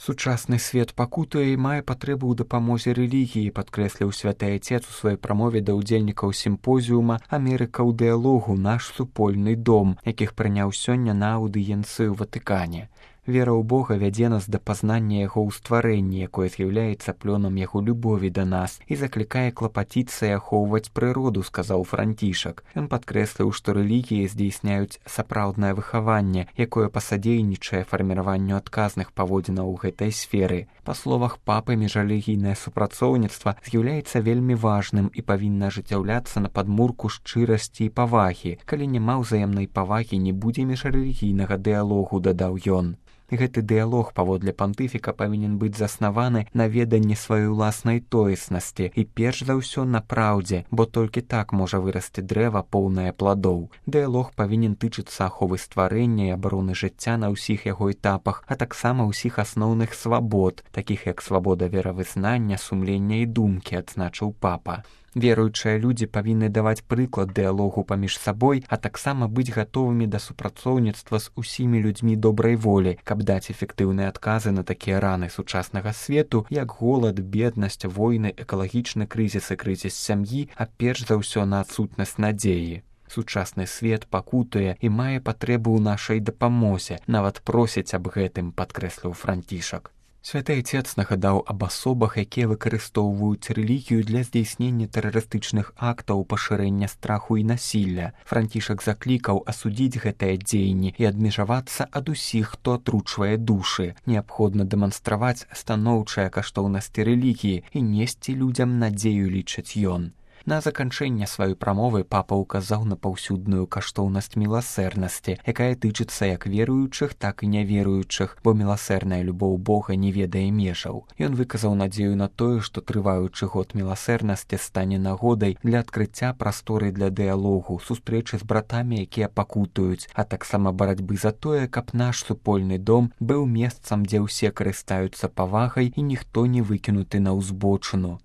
Сучасны свет пакутуе і мае патрэбу ў дапамозе рэлігіі, падкрэсліў святы айцец у сваёй прамове да ўдзельнікаў сімпозіума «Амерыка ў дыялогу. Наш супольны дом», якіх прыняў сёння на аўдыенцыі ў Ватыкане. Вера ў Бога вядзе нас да пазнання яго ў стварэнні, якое з'яўляецца плёнам яго любові да нас і заклікае клапаціцца і ахоўваць прыроду, сказаў Францішак. Ён падкрэсліў, што рэлігіі здзейсняюць сапраўднае выхаванне, якое пасадзейнічае фарміраванню адказных паводзінаў у гэтай сферы. Па словах папы, міжрэлігійнае супрацоўніцтва з'яўляецца вельмі важным і павінна ажыццяўляцца на падмурку шчырасці і павагі. Калі няма ўзаемнай павагі, не будзе міжрэлігійнага дыялогу, дадаў ён. Гэты дыялог, паводле пантыфіка, павінен быць заснаваны на веданні сваёй уласнай тоеснасці і перш за ўсё на праўдзе, бо толькі так можа вырасці дрэва, поўнае пладоў. Дыялог павінен тычыцца аховы стварэння і абароны жыцця на ўсіх яго этапах, а таксама ўсіх асноўных свабод, такіх як свабода веравызнання, сумлення і думкі, адзначыў папа. Веруючыя людзі павінны даваць прыклад дыялогу паміж сабой, а таксама быць гатовымі да супрацоўніцтва з усімі людзьмі добрай волі, каб даць эфектыўныя адказы на такія раны сучаснага свету, як голад, беднасць, войны, экалагічны крызіс і крызіс сям'і, а перш за ўсё на адсутнасць надзеі. Сучасны свет пакутуе і мае патрэбу ў нашай дапамозе, нават просіць аб гэтым, падкрэсліў Францішак. Святы айцец нагадаў аб асобах, якія выкарыстоўваюць рэлігію для здзейснення тэрарыстычных актаў, пашырэння страху і насілля. Францішак заклікаў асудзіць гэтыя дзеянні і адмежавацца ад усіх, хто атручвае душы. Неабходна дэманстраваць станоўчыя каштоўнасці рэлігіі і несці людзям надзею, лічыць ён. На заканчэнне сваёй прамовы папа ўказаў на паўсюдную каштоўнасць міласэрнасці, якая тычыцца як веруючых, так і няверуючых, бо міласэрная любоў Бога не ведае межаў. Ён выказаў надзею на тое, што трываючы год міласэрнасці стане нагодай для адкрыцця прасторы для дыялогу, сустрэчы з братамі, якія пакутуюць, а таксама барацьбы за тое, каб наш супольны дом быў месцам, дзе ўсе карыстаюцца павагай і ніхто не выкінуты на ўзбочыну.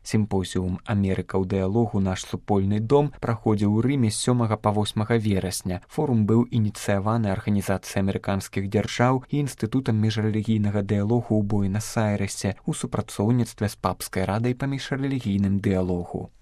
Сімпозіум «Амерыка ў дыялогу. Наш супольны дом» праходзіў у Рыме з 7 па 8 верасня. Форум быў ініцыяваны Арганізацыяй амерыканскіх дзяржаў і Інстытутам міжрэлігійнага дыялогу ў Буэнас-Айрэсе ў супрацоўніцтве з папскай радай па міжрэлігійным дыялогу.